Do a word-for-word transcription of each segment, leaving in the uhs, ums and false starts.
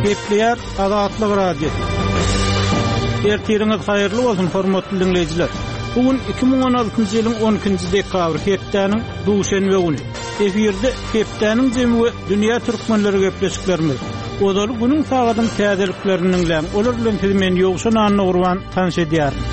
Gepleýär Azatlyk Radiosy. Ertiriňiz haýyrly bolsun, hormatly diňleýjiler. Bu gün iki müň on altynjy ýylyň on ikinji dekabry, hepdäniň duşenbe güni. Efirde hepdäniň jemi we dünýä türkmenleri gepleşiklerimiz. Ozaly günüň sagadyň täzeliklerini diňläň. Olar bilen sizi men Ýowşan Annagurban tanyş edýärin.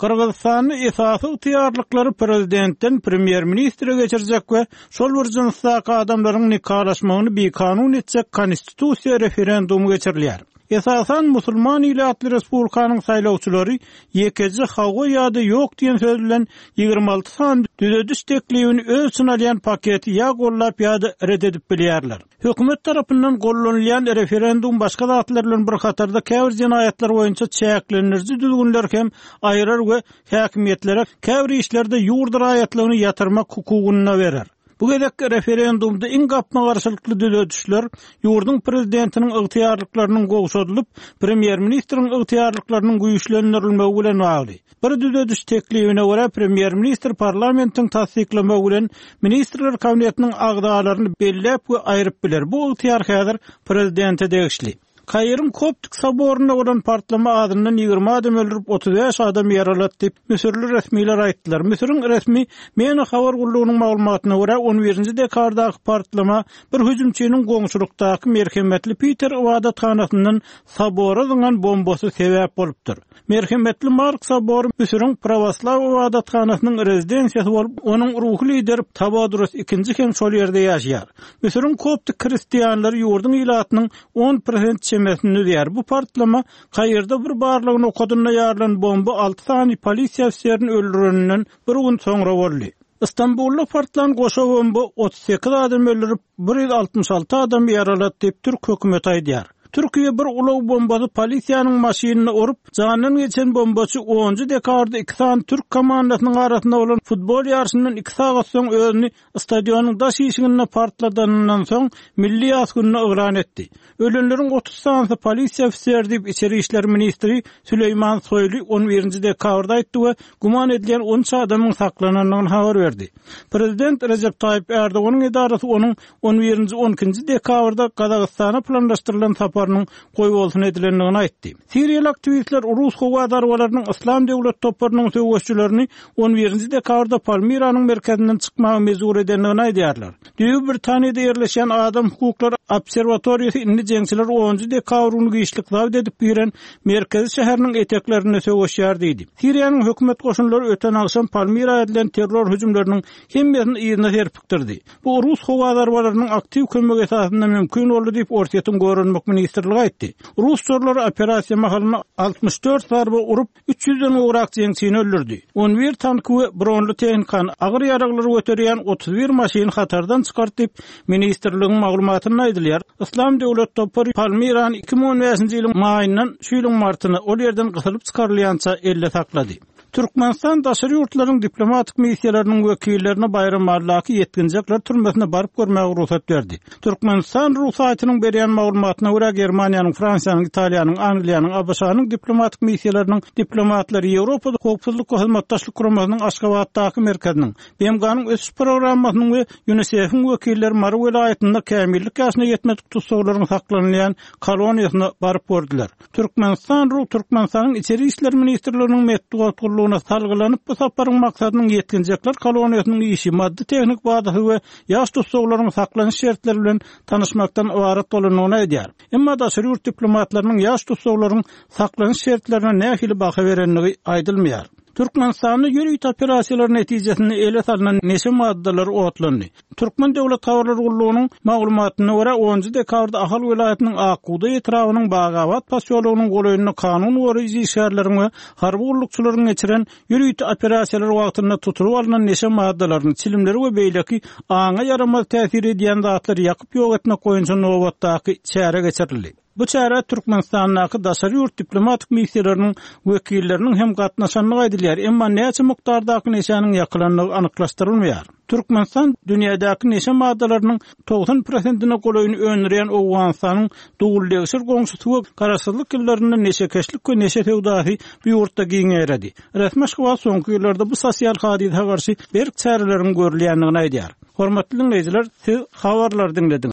Gyrgyzystanda esasy ygtyýarlyklary prezidentden premýer-ministre geçirjek we şol bir jynsdaky adamlaryň nikalaşmagyny bikanun etjek konstitusiýa referendumy geçirilýär. Esasan musulman ilatly respublikanyň saýlawçylary ýekeje hawa ýa-da ýok diýen söz bilen ýigrimi alty sany düzediş teklibini öz içine alýan paketi ýa gollap ýa-da red edip bilýärler. Hökümet tarapyndan gollanylýan referendum başga zatlar bilen bir hatarda käbir jenaýatlar boýunça çäklendiriji düzgünler hem aýyrar we häkimiýetlere käbir işlerde ýurt raýatlygyny ýatyrmak hukugyny berer. Bu gezek referendumda iň gapma-garşylykly düzedişler ýurduň prezidentiniň ygtyýarlyklarynyň gowşadylyp, premýer-ministriň ygtyýarlyklarynyň güýçlendirilmegi bilen bagly. Bir düzediş teklibine görä premýer-ministr parlamentiň tassyklamagy bilen ministrler kabinetiniň agzalaryny belläp we aýryp biler. Bu ygtyýar häzir prezidente degişli. Kairiň Koptik soborunda bolan partlama adyndan ýigrimi adam öldürip, otuz bäş adam ýaralatdy diýip, Müsürli resmiler aýtdylar. Müsüriň resmi MENA habar gullugynyň maglumatyna görä, on birinji dekabrdaky partlama bir hüjümçiniň goňşulykdaky merhemetli Peter ibadathanasyndan sobora zyňan bombasy sebäp bolupdyr. Merhemetli Mark sobory Müsüriň pravoslav ibadathanasynyň rezidensiýasy bolup, onuň ruhy lideri Tawadros ikinji hem şol ýerde ýaşaýar. Müsüriň koptik hristianlary ýurduň ilatynyň on prosent çemesini düzýär. Bu partlama Kairde bir barlygyny okadynda ýarylan bomba alty sany polisiýa ofiserini öldüreninden bir gün soňra boldy. Istanbulda partlan goşa bomba otuz sekiz adam öldürip, bir ýüz altmyş alty adam ýaralatdy diýip Türk hökümeti aýdýar. Türkiýe bir ulag bombasy polisiýanyň maşynyny urup, jandan geçen bombaçy onunjy dekabrda iki sany Türk komandasynyň arasynda bolan futbol ýaryşyndan iki sagat soň özüni stadionyň daş işiginde partladanyndan soň milli ýas gününi yglan etdi. Ölenleriň otuz sanysy polisiýa ofiseri diýip İçeri İşler Ministri Süleyman Soylu on birinji dekabrda aýtdy we güman edilen on üç adamyň saklanandygyny habar berdi. Prezident Recep Tayyip Erdoganyň edarasy onuň on birinji on ikinji dekabrda Gazagystana planlaşdyrylan saparynyň goýbolsun edilendigini aýtdy. Siriýaly aktiwistler Rus howa zarbalarynyň Islam döwlet toparynyň söweşçilerini on birinji dekabrda Palmiranyň merkezinden çykmaga mejbur edendigini aýdýarlar. Düýbi Britaniýada ýerleşen adam hukuklary obserwatoriýasy indi jeňçiler onunjy dekabr güni giçlik zabt edip giren merkezi şäheriniň eteklerinde söweşýär diýdi. Siriýanyň hökümet goşunlary öten agşam Palmira edilen terror hüjümleriniň hemmesini yzyna serpikdirdi. Bu Rus howa zarbalarynyň aktiw kömegi esasynda mümkin boldy diýip Orsýetiň Goranmak ministrligi aýtdy. Rus uçarlary operasiýa mahalynda altmyş dört zarba urup, üç ýüzden gowrak jeňçini öldürdi. On bir tanky we bronly tehnikany agyr ýaraglary göterýän otuz bir maşyny hatardan çykartdy diýip ministrligiň maglumatynda aýdylýar. Islam döwlet topary Palmirany iki müň on bäşinji ýylyň maýyndan şu ýylyň martyna ol ýerden gysylyp çykarylýança elle saklady. Türkmenistan daşary ýurtlaryň diplomatik missiýalarynyň wekillerine Baýramalydaky ýetginjekler türmesine baryp görmäge rugsat berdi. Türkmenistan rugsatçynyň berýän maglumatyna görä Germaniýanyň, Fransiýanyň, Italiýanyň, Angliýanyň, A B Ş-nyň diplomatik missiýalarynyň diplomatlary Ýewropa Howpsuzlyk we Hyzmatdaşlyk Guramasynyň Aşgabatdaky merkeziniň, B M G-nyň ösüş programmasynyň we UNICEF-iň wekilleri Mary welaýatynda kämillik ýaşyna ýetmedik tussaglaryň saklanylýan koloniýasyna baryp gördüler. Türkmenistan Ru Türkmenistanyň İçeri İşler Ministrliginiň metbugat gullugyna salgylanyp bu saparyň maksadynyň ýetginjekler koloniýasynyň işi, maddy tehnik bazasy we ýaş tussaglaryň saklanyş şertleri bilen tanyşmakdan ybarat bolandygyny aýdýar. Emma daşary ýurt diplomatlarynyň ýaş tussaglaryň saklanyş şertlerine nähili baha berendigi aýdylmaýar. Türkmenistanda ýörite operasiýalar netijesinde ele salynan neşe maddalary otlandy. Türkmen Döwlet Habarlar Gullugynyň maglumatyna görä onunjy dekabrda Ahal welaýatynyň Akguda etrabynyň Bagabat posýologynyň golaýynda kanun goraýjy işgärleriň we harby gullukçylaryň geçiren ýörite operasiýalar wagtynda tutulyp alnan neşe maddalaryny, çilimleri we beýleki aňa ýaramaz täsir edýän zatlary ýakyp ýok etmek boýunça nobatdaky çäre geçirildi. Bu çäre Türkmenistandaky daşary ýurt diplomatik missiýalarynyň wekilleriniň hem gatnaşandygy aýdylýar, emma näçe mukdardaky neşäniň ýakylandygy anyklaşdyrylmaýar. Türkmenistan dünýädäki neşe maddalarynyň togsan prosentine golaýyny öndürýän Owganystanyň dogul-degşir goňşusy we garaşsyzlyk ýyllarynda neşekeşlik we neşe söwdasy bu ýurtda giňeýredi. Resmi Aşgabat soňky ýyllarda bu sosial hadysa garşy berk çäreleriň görülýändigini aýdýar. Hormatly dinleýjiler, siz habarlary diňlediňiz.